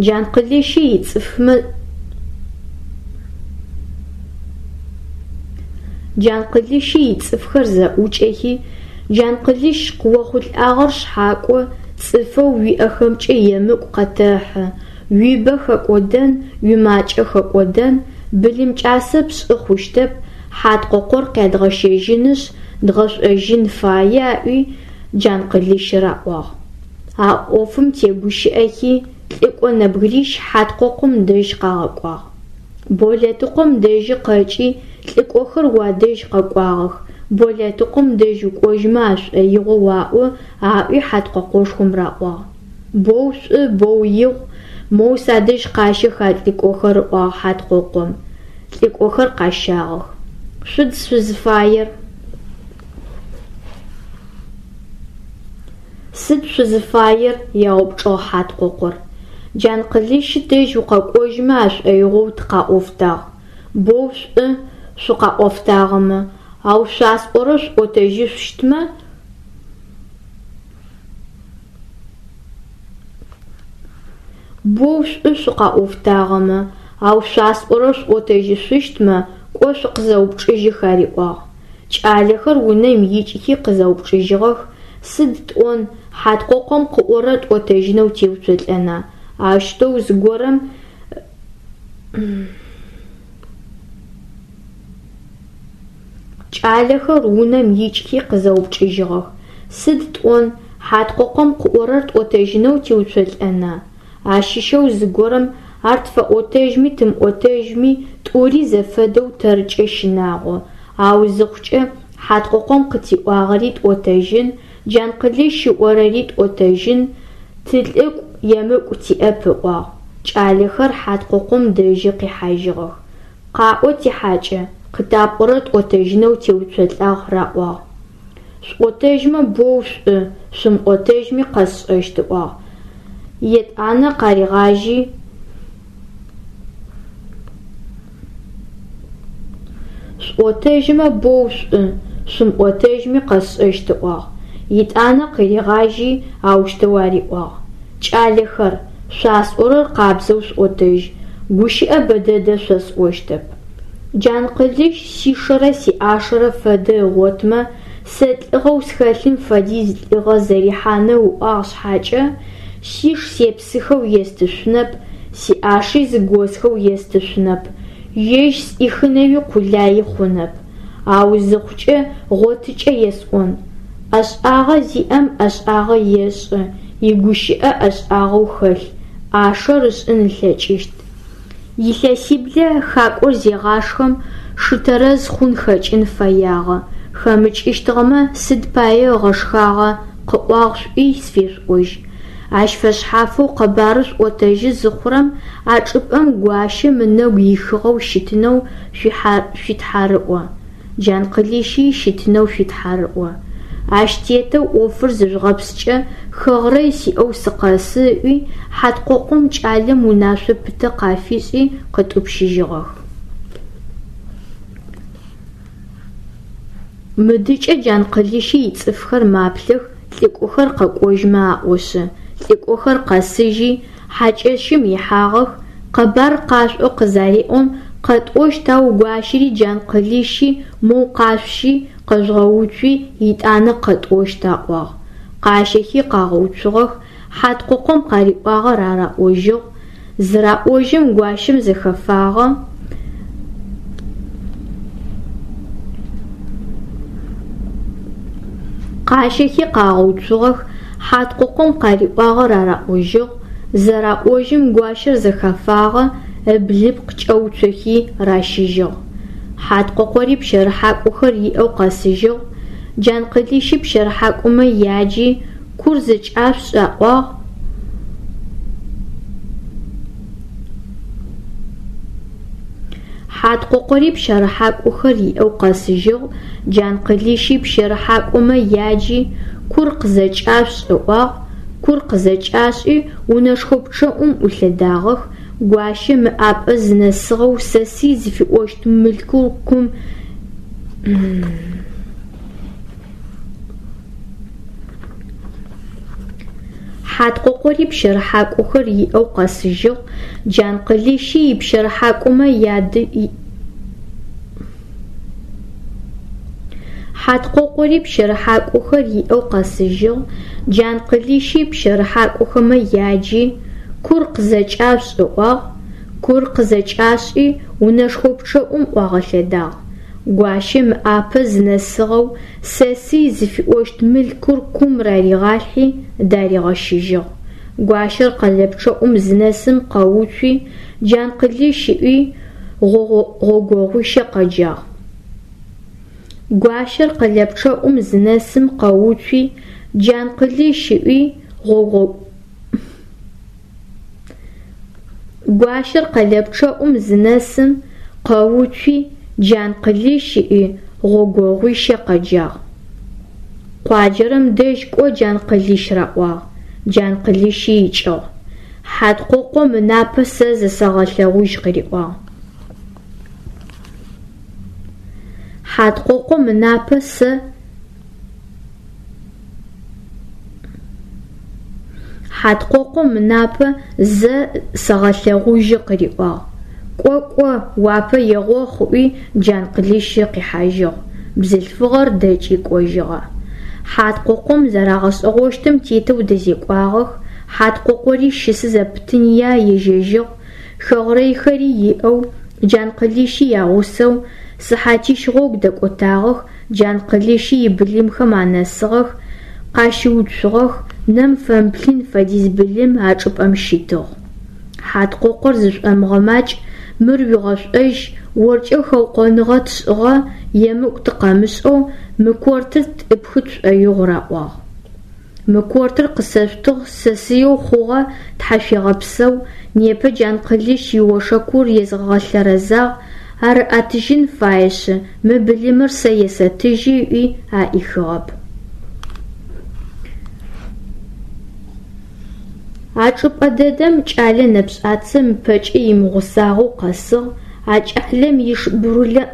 Джанкъылыщи ицӏыфмэ Джанкъылыщи ицӏыфхэр зэӏукӏэхи, Джанкъылыщ къыохъулӏагъэр шъхьакӏо, цӏыфэу уиӏэхэмкӏэ емыкӏу къэтэхьы, уибэ хэкӏодэн, уимакӏэ хэкӏодэн, былым кӏасэ пшӏы хъущтэп, Хьаткъокъор къядгъэщэжьынышъ, дгъэшӏожьын фае аӏуи, Джанкъылыщ раӏуагъ. А ӏофым тегущыӏэхи, лӏыкӏо нэбгырищ Хьаткъокъом дэжь къагъэкӏуагъ. Болэтыкъом дэжьы къэкӏи, лӏыкӏохэр уадэжь къэкӏуагъэх, Болэтыкъом дэжь укӏожьмэ ашӏоигъоу аӏо, аӏуи Хьаткъокъошхом раӏуагъ. Боу шӏу, боу игъу, моу садэжь къащэх а лӏыкӏохэр, ыӏуагъ Хьаткъокъом. Лӏыкӏохэр къащагъэх. Шъуд шъузыфаер? Сыд шъузыфаер? Яупчӏыгъ Хьаткъокъор. Джанкъылыщ дэжь укъэкӏожьмэ ашӏоигъоу тыкъаӏофтагъ. Боу шӏу шъукъаӏофтагъэмэ, ау шъуасӏорэр шъуӏотэжьышъущтмэ, боу шӏу шъукъаӏофтагъэмэ, ау шъуасӏорэр шъуӏотэжьышъущтмэ, кӏо шъукъызэупчӏыжьых ариӏуагъ. Кӏалэхэр унэм икӏхи къызэупчӏыжьыгъэх, сыд тӏон, Хьаткъокъом къыӏорэр тӏотэжьынэу теуцолӏэна, аущтэу зыгорэм Кӏалэхэр унэм икӏхи къызэупчӏыжьыгъэх, сыд тӏон, Хьаткъокъом къыӏорэр тӏотэжьынэу теуцолӏэна, ащыщэу зыгорэм ар тфэӏотэжьми тымыӏотэжьми тӏури зэфэдэу тэркӏэ щынагъо, ау зыхъукӏэ Хьаткъокъом къытиӏуагъэри тӏотэжьын, Джанкъылыщ ыӏорэри тӏотэжьын, тылӏыкӏу емыкӏу тиӏэп ыӏуагъ. Кӏалэхэр Хьаткъокъом дэжьы къихьажьыгъэх. Къаӏо тихьакӏэ, къытапӏорэр тӏотэжьынэу теуцолӏагъ раӏуагъ. Шъуӏотэжьмэ боу шӏу, шъумыӏотэжьми къэсшӏэщт ыӏуагъ. Етӏанэ къаригъажьи Шъуӏотэжьмэ боу шӏу, шъумыӏотэжьми къэсшӏэщт ыӏуагъ. Етӏанэ къыригъажьи аущтэу ариӏуагъ. Кӏалэхэр, шъуасӏорэр къабзэу шъуӏотэжь, гущыӏэ бэдэдэ шъосӏощтэп. Джанкъылыщ сишэрэ сиӏашэрэ фэдэ ыгъотмэ, сэ лӏыгъэу схэлъым фэдиз лӏыгъэ зэрихьанэу ыӏуагъ шъхьакӏэ, сиш сепсыхэу естышъунэп, сиӏаши зыгосхэу естышъунэп, ежь сӏихынэуи къулаи хъунэп. Ау зыхъукӏэ гъотыкӏэ есӏон. ӏэшӏагъэ зиӏэм ӏэшӏагъэ ешӏы, игущыӏэ ӏэшӏагъэу хэлъ, ӏашэр ышӏын ылъэкӏыщт. Илъэсиблэ хакӏор зегъашхэм, шы тэрэз хъун хэкӏын фэягъэ, хэмыкӏыщтыгъэмэ сыд пае ыгъэшхагъа, къыӏуагъ шъуӏуи сфешъуӏожь. Ащ фэшъхьафэу къэбарыр шъуӏотэжьы зыхъурэм а чӏыпӏэм гуащэм ынэгу ихыгъэу щытынэу шъуитхьарыӏо. Джанкъылыщи щытынэу шъуитхьарыӏо. Ащ тетэу ӏофыр зыжъугъэпскӏэ хэгърэй сиӏэу сыкъэсы ыӏуи, Хьаткъокъом кӏалэм унашъо пытэ къафишӏи къытӏупщыжьыгъэх. Мыдыкӏэ Джанкъылыщи ицӏыфхэр маплъэх, лӏыкӏохэр къэкӏожьмэ аӏошъы. Лӏыкӏохэр къэсыжьи, хьакӏэщым ихьагъэх, къэбар къашӏо къызареӏом, Къэтӏощт, ау гуащэри Джанкъылыщи моу къашъущи, къэжъугъэуцуи, етӏанэ къэтӏощт, аӏуагъ. Къащэхи къагъэуцугъэх, Хьаткъокъом къариӏуагъэр араӏожьыгъ. Зыраӏожьым гуащэм зэхэфагъэ. Къащэхи къагъэуцугъэх, Хьаткъокъом къариӏуагъэр араӏожьыгъ. Зэраӏожьым гуащэр зэхэфагъэ, ыблыпкъ кӏэуцохи ращыжьыгъ. Хьаткъокъори пщэрыхьакӏохэр иӏэу къэсыжьыгъ. Джанкъылыщи пщэрыхьакӏомэ яджи, кур зэкӏашъушӏ аӏуагъ. Хьаткъокъори пщэрыхьакӏохэр иӏэу къэсыжьыгъ. Джанкъылыщи пщэрыхьакӏомэ яджи, кур къызэкӏашъушӏ ыӏуагъ. Кур къызэкӏашӏи, унэшхо пчъэӏум ӏулъэдагъэх. Гуащэм ыӏапӏэ зынэсыгъэу сэсый зыфиӏощт мылъкур кум Хьаткъокъори пщэрыхьакӏохэр иӏэу къэсыжьыгъ. Джанкъылыщи ипщэрыхьакӏомэ яды Хьаткъокъори пщэрыхьакӏохэр иӏэу къэсыжьыгъ. Джанкъылыщи пщэрыхьакӏохэмэ яджи, кур къызэкӏашъушӏ ыӏуагъ. Кур къызэкӏашӏи, унэшхо пчъэӏум ӏуагъэлъэдагъ. Гуащэм ыӏапэ зынэсыгъэу сэсый зыфиӏощт мылъкур кум раригъалъхьи, даригъэщыжьыгъ. Гуащэр къэлэпчъэӏум зынэсым къэуцуи, Джанкъылыщ ыӏуи, гъогогъуищэ къэджагъ. Гуащэр къэлэпчъэӏум зынэсым къэуцуи, Джанкъылыщ ыӏуи, гъогого Гуащэр къэлэпчъэӏум зынэсым къэуцуи, Джанкъылыщ ыӏуи, гъогогъуищэ къэджагъ. Къуаджэрэм дэжь кӏо Джанкъылыщ раӏуагъ. Джанкъылыщи икӏыгъ. Хьаткъокъом ынапэ сэ зэсэгъэлъэгъужь къыриӏуагъ. Хьаткъокъом ынапэ сэ Хьаткъокъом ынапэ зэ сэгъэлъэгъужьы къыриӏуагъ. Кӏо, кӏо, уапэ егъохъу ыӏуи Джанкъылыщы къихьажьыгъ. Бзылъфыгъэр дэкӏи кӏожьыгъэ. Хьаткъокъом зэрагъэшӏэгъощтым тетэу дэзекӏуагъэх. Хьаткъокъори щысы зэпытыныя ежьэжьыгъ. Хэгърэйхэри иӏэу, Джанкъылыщи ягъусэу сыхьатищ гъогу дэкӏотагъэх, Джанкъылыщи ибылымхэм анэсыгъэх, къащыуцугъэх, нэм фэмыплъын фэдиз былым а чӏыпӏэм щитыгъ. Хьаткъокъор зышӏомыгъэмакӏ, мыр уигъэшӏожь, оркӏэ хэукъоныгъэ тшӏыгъэ, емыкӏу тыкъэмышӏэу мы кортыр тӏыпхы тшӏоигъу раӏуагъ. Мы кортыр къысэшъутыгъ, сэсыеу хъугъэ, тхьашъуегъэпсэу, непэ Джанкъылыщ иошэкур езгъэлъэрэзагъ, ар ыӏэтыжьын фаешъы, мы былымыр сэ есэтыжьы ыӏуи аӏихыгъэп. А чӏыпӏэ дэдэм кӏэлэ нэпшӏацэм ыпэкӏэ имыгъусагъэу къэсыгъ, а кӏалэм иш бурулэ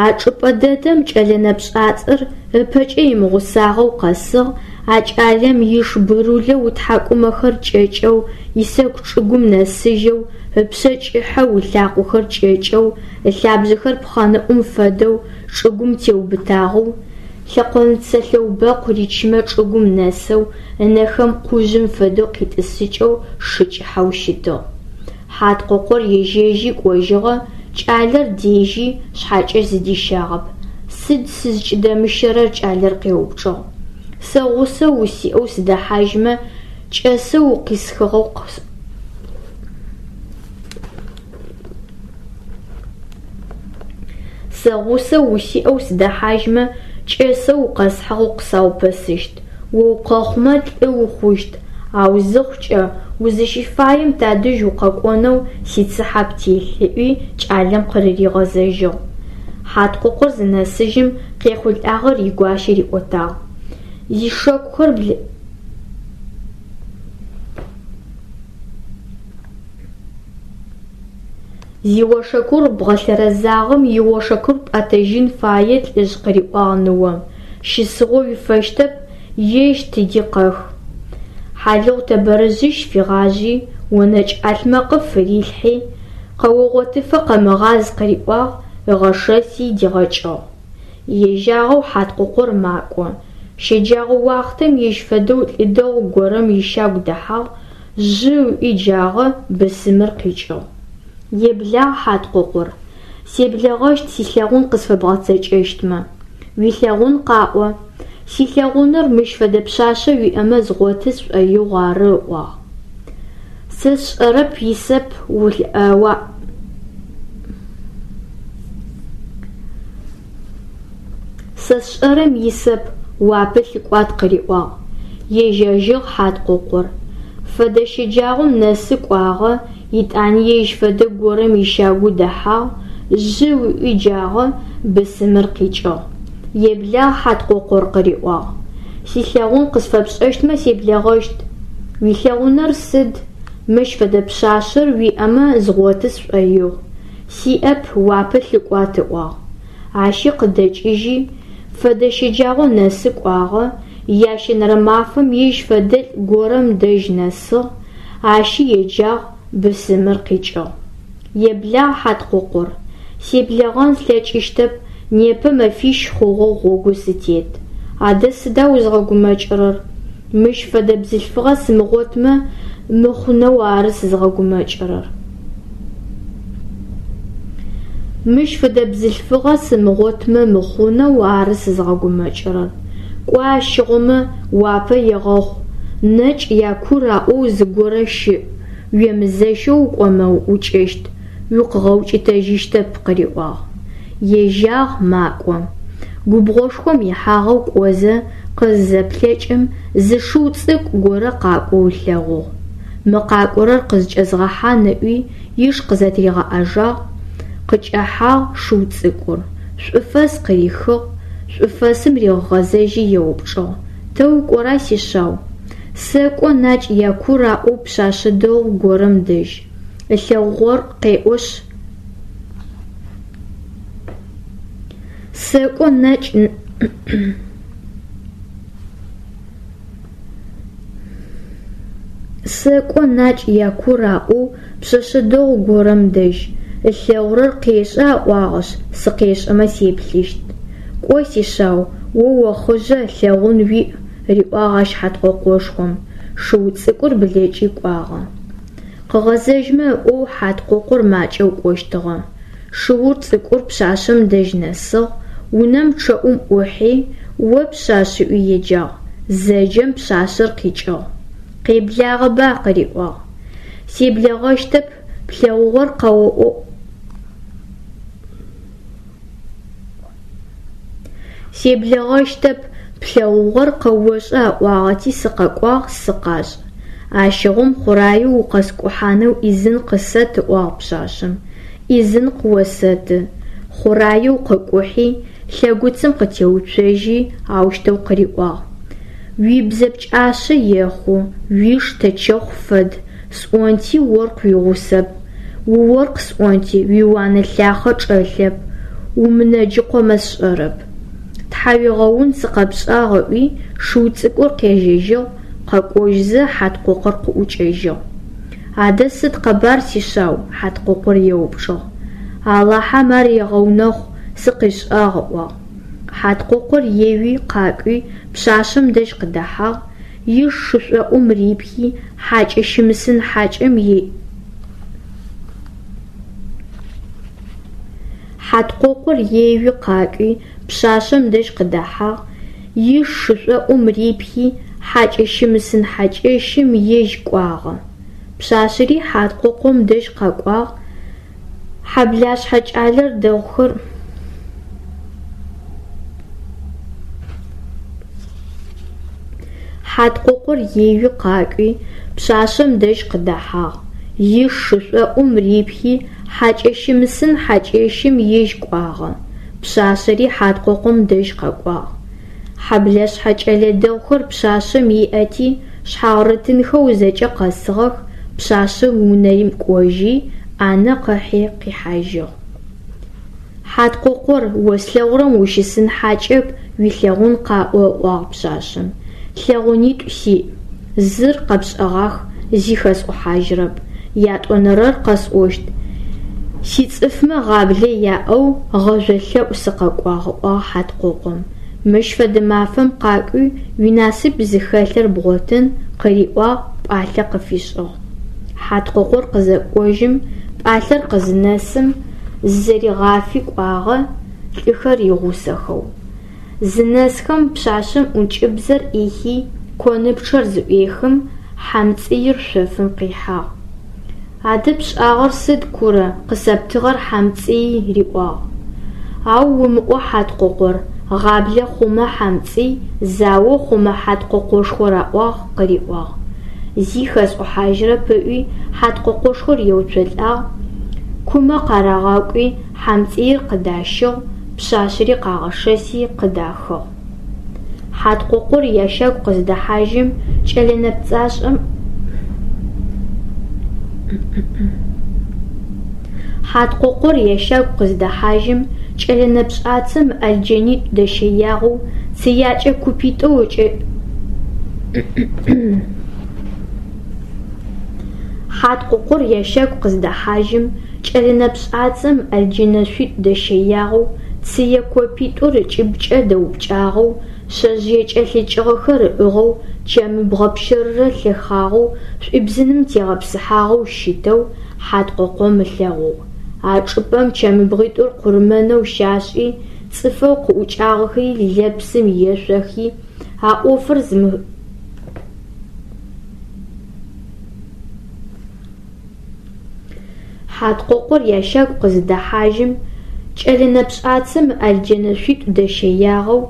А чӏыпӏэ дэдэм кӏэлэ нэпшӏацэр ыпэкӏэ имыгъусагъэу къэсыгъ, а кӏалэм иш бурулэу ытхьакӏумэхэр кӏэкӏэу, исэку чӏыгум нэсыжьэу, ыпшъэ кӏыхьэу, ылъакъохэр кӏэкӏэу, ылъабжъэхэр пхъэнэӏум фэдэу чӏыгум теубытагъэу, лъэкъонцэ лъэубэкъу ричымэ чӏыгум нэсэу, ынэхэм къужъым фэдэу къитӏысыкӏэу шы кӏыхьэу щытыгъ. Хьаткъокъор ежьэжьи кӏожьыгъэ, кӏалэр дежьи, шъхьакӏэ зыдищагъэп. Сыд сызкӏыдэмыщэрэр кӏалэр къеупчӏыгъ. Сэ гъусэ усиӏэу сыдэхьажьмэ, кӏэсэ укъисхыгъэу Сэ гъусэ усиӏэу сыдэхьажьмэ, кӏэсэ укъэсхьыгъэу къысаупэсыщт. О укъэхъумэ лӏы ухъущт, ау зыхъукӏэ узыщыфаем тадэжь укъэкӏонэу сицыхьэ птелъ, ыӏуи кӏалэм къырыригъэзэжьыгъ. Хьаткъокъор зынэсыжьым къехъулӏагъэр игуащэ риӏотагъ. Зишэкухэр Зиошэкур бгъэлъэрэзагъэм иошэкур пӏэтэжьын фае лӏыжъ къыриӏуагъ ныом. Щысыгъо уифэщтэп, ежь тыди къэх. Хьалыгъу тэбэрыжъищ фигъажъи, онэкӏ ӏалъмэкъым фырилъхьи, къэогъотыфэ къэмыгъаз къыриӏуагъ, ыгъэшэси дигъэкӏыгъ. Ежьагъэу Хьаткъохъур макӏо. Щэджагъо уахътэм ежь фэдэу лӏы дэгъу горэм ищагу дэхьагъ, жъы ыӏуи джагъэ, бысымыр къикӏыгъ. Еблагъ, Хьаткъохъур. Себлэгъэщт силъэгъун къысфэбгъэцэкӏэщтмэ. Уилъэгъун къаӏо. Силъэгъуныр мыщ фэдэ пшъашъэ уиӏэмэ згъоты сшӏоигъу ары, ыӏуагъ. Сэ сшӏэрэп исэп уа Сэ сшӏэрэм исэп, уапэ лъыкӏуат къыриӏуагъ. Ежьэжьыгъ Хьаткъохъур. Фэдэ щэджагъом нэсы кӏуагъэ, итӏани ежь фэдэ горэм ищагу дэхьагъ, жъы ыӏуи джагъэ, бысымыр къикӏыгъ. Еблагъ, Хьаткъохъур къыриӏуагъ. Силъэгъун къысфэпшӏэщтмэ себлэгъэщт. Уилъэгъуныр сыд? Мыщ фэдэ пшъашъэр уиӏэмэ згъоты сшӏоигъу. Сиӏэп, уапэ лъыкӏуат ыӏуагъ. Ащи къыдэкӏыжьи, фэдэ щэджагъо нэсы кӏуагъэ, ящэнэрэ мафэм ежь фэдэлӏ горэм дэжь нэсыгъ, ащи еджагъ, бысымыр къикӏыгъ. Еблагъ, Хьаткъохъур. Себлэгъэн слъэкӏыщтэп, непэ мэфищ хъугъэу гъогу сытет. Адэ сыда узгъэгумэкӏырэр? Мыщ фэдэ бзылъфыгъэ сымыгъотмэ мыхъунэу ары сызгъэгумэкӏырэр. Мыщ фэдэ бзылъфыгъэ сымыгъотмэ мыхъунэу ары сызгъэгумэкӏырэр. Кӏо ащыгъумэ уапэ егъэхъу, нэкӏ якур аӏоу зыгорэ щыӏ, уемызэщэу укӏомэ уӏукӏэщт, укъыгъэукӏытэжьыщтэп къыриӏуагъ. Ежьагъ, макӏо. Губгъошхом ихьагъэу кӏозэ къызызэплъэкӏым зы шыу цӏыкӏу горэ къакӏоу ылъэгъугъ. Мы къакӏорэр къызкӏэзгъэхьан ыӏуи иш къызэтыригъэӏэжагъ, къыкӏэхьагъ шыу цӏыкӏур. Шӏуфэс къырихыгъ, шӏуфэсым ригъэгъэзэжьи еупчӏыгъ: Тэ укӏора, сишъау? Сэкӏо Накӏ Якур аӏоу пшъашъэ дэгъу горэм дэжь. Ылъэгъугъэр къеӏошъ. Сэкӏо Накӏ Сэкӏо Накӏ Якур аӏоу пшъэшъэ дэгъу горэм дэжь. Ылъэгъурэр къешӏэ аӏуагъэшъ, сыкъешӏэмэ сеплъыщт. Кӏо, сишъау, о охъыжъэ, лъэгъун уиӏ, риӏуагъ ащ Хьаткъохъошхом. Шыу цӏыкӏур блэкӏи кӏуагъэ. Къыгъэзэжьмэ ыӏоу Хьаткъохъур макӏэу кӏощтыгъэ. Шыур цӏыкӏур пшъашъэм дэжь нэсыгъ, унэм пчъэӏум ӏухьи, о пшъашъ ыӏуи еджагъ. Зэджэм пшъашъэр къикӏыгъ. Къеблагъэба къыриӏуагъ. Себлэгъэщтэп, плъэгъугъэр къэоӏо. Себлэгъэщтэп, плъэгъугъэр къэошӏэ аӏуагъэти сыкъэкӏуагъ, сыкъашӏ. Ащыгъум хъураеу укъэскӏухьанэу ӏизын къысэт, ыӏуагъ пшъашъэм. Ӏизын къыосэты. Хъураеу къыкӏухьи, лъэгуцым къытеуцожьи, аущтэу къыриӏуагъ: Уибзэ пкӏашъэ ехъу, уиш тэчэхъу фэд, сӏонти оркъ уигъусэп. Уоркъ сӏонти уиуанэ лъахъэ чӏэлъэп, умынэджыкъомэ сшӏэрэп. Тхьауегъэун сыкъэпшӏагъ ыӏуи, шыу цӏыкӏур къежьэжьыгъ, къэкӏожьзэ Хьаткъохъур къыӏукӏэжьыгъ. Адэ сыд къэбар, сишъау? Хьаткъохъур еупчӏыгъ. Алахьэм ар егъэунэхъу, сыкъишӏагъ, ыӏуагъ. Хьаткъохъур еуи къакӏуи пшъашъэм дэжь къыдэхьагъ, иш шышӏоӏум рипхи, хьакӏэ щымысын хьакӏэм е Хьаткъохъур еуи къакӏуи пшъашъэм дэжь къыдэхьагъ, иш шышӏоӏум рипхи, хьакӏэ щымысын хьакӏэщым ежь кӏуагъэ. Пшъашъэри Хьаткъохъум дэжь къэкӏуагъ, хьэблашъхьэ кӏалэ дэгъухэр Хьаткъохъур еуи къакӏуи пшъашъэм дэжь къыдэхьагъ, иш шышӏоӏум рипхи, хьакӏэ щымысын хьакӏэщым ежь кӏуагъэ. Пшъашъэри Хьаткъохъум дэжь къэкӏуагъ. Хьэблашъхьэ кӏэлэ дэгъухэр пшъашъэм иӏэти, шъхьагърытынхэу зэкӏэ къэсыгъэх, пшъашъэр унэим кӏожьи, ӏанэ къыхьи къихьажьыгъ. Хьаткъохъур, о слъэгъурэм ущысын хьакӏэп, уилъэгъун къаӏо, ыӏуагъ пшъашъэм. Лъэгъунитӏу сиӏ. Зыр къэпшӏэгъах, зи хэсӏухьажьырэп, ятӏонэрэр къэсӏощт: сицӏыфмэ гъаблэ яӏэу гъэжъо лъэӏу сыкъэкӏуагъ, ыӏуагъ Хьаткъокъом. Мыщ фэдэ мафэм къакӏуи уинасып зыхэлъыр бгъотын, къыриӏуагъ, пӏалъэ къыфишӏыгъ. Хьаткъокъор къызэкӏожьым, пӏалъэр къызынэсым, зызэригъафи кӏуагъэ, лӏыхэр игъусэхэу. Зынэсхэм пшъашъэм ӏункӏыбзэр ӏихи, коныпчъэр зыӏуехым, хьамцӏыир шъофым къихьагъ. Адэ пшӏагъэр сыд, Курэ, къысэптыгъэр хьамцӏыий, риӏуагъ. Ау умыӏо, Хьаткъокъор, гъаблэ хъумэ хьамцӏый, зао хъумэ Хьаткъокъошхор аӏуагъ, къыриӏуагъ. Зи хэсӏухьажьырэп ыӏуи, Хьаткъокъошхор еуцолӏагъ, кумэ къарагъэкӏуи, хьамцӏыир къыдащыгъ, пшъашъэри къагъэшэси къыдахыгъ. Хьаткъокъор ящагу къыздэхьажьым, кӏэлэ нэпцӏашӏэм Хьаткъокъор ящагу къыздэхьажьым, кӏэлэ нэпшӏацэм ыӏэлджэнитӏу дэщэягъэу, цыякӏэ купитӏоу ыкӏэ Хьаткъокъор ящагу къыздэхьажьым, кӏэлэ нэпшӏацэм ыӏэлджэнэшъуитӏу дэщэягъэу, цые копитӏур ыкӏыбкӏэ дэупкӏагъэу, шъэжъые кӏэлъыкӏыгъэхэр ыӏыгъэу, чэмыбгъэ пщэрырэ лъэхъагъэу, шӏуибзыным тегъэпсыхьагъэу щытэу Хьаткъокъом ылъэгъугъ. А чӏыпӏэм чэмыбгъитӏур къурмэнэу щашӏи, цӏыфэу къыӏукӏагъэхэри лэпсым ешъохи, а ӏофыр зымы Хьаткъокъор ящагу къыздэхьажьым, кӏэлэ нэпшӏацэм ыӏэлджэнэшъуитӏу дэщэягъэу,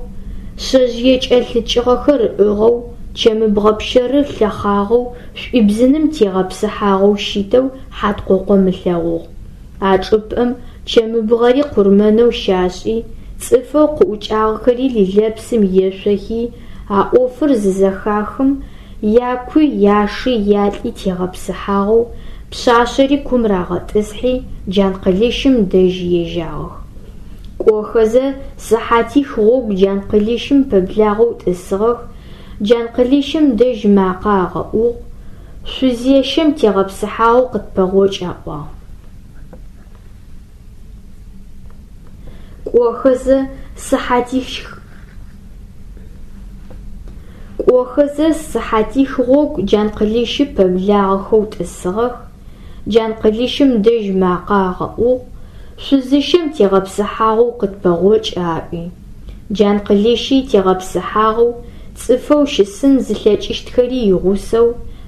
шъэжъые кӏэлъыкӏыгъэхэр ыӏыгъэу, чэмыбгъэ пщэрыр лъэхъагъэу, шӏуибзыным тегъэпсыхьагъэу щытэу Хьаткъокъом ылъэгъугъ. А чӏыпӏэм чэмыбгъэри къурмэнэу щашӏи, цӏыфэу къыӏукӏагъэхэри лэпсым ешъохи, а ӏофыр зызэхахым, якуи, яши, ялӏи тегъэпсыхьагъэу, пшъашъэри кум рагъэтӏысхьи, Джанкъылыщым дэжь ежьагъэх. Кӏохэзэ сыхьатих гъогу Джанкъылыщым пэблагъэу тӏысыгъэх, Джанкъылыщым дэжь макъэ агъэӏугъ, шъузещэм тегъэпсыхьагъэу къытпэгъокӏ аӏуагъ. Кӏохэзэ сыхьатих Кӏохэзэ сыхьатих гъогу Джанкъылыщы пэблагъэхэу тӏысыгъэх, Джанкъылыщым дэжь макъэ агъэӏугъ, шъузыщэм тегъэпсыхьагъэу къытпэгъокӏ аӏуи. Джанкъылыщи тегъэпсыхьагъэу, цӏыфэу щысын зылъэкӏыщтхэри игъусэу,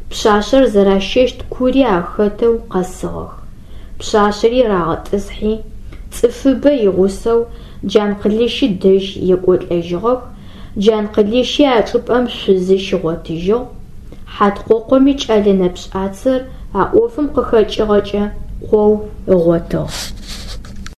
пшъашъэр зэращэщт кури ахэтэу къэсыгъэх. Пшъашъэри рагъэтӏысхьи, цӏыфыбэ игъусэу Джанкъылыщы дэжь екӏолӏэжьыгъэх, Джанкъылыщи а чӏыпӏэм шъузы щигъотыжьыгъ. Хьаткъокъоми кӏэлэ нэпшӏацэр а ӏофым къыхэкӏыгъэкӏэ къоу ыгъотыгъ.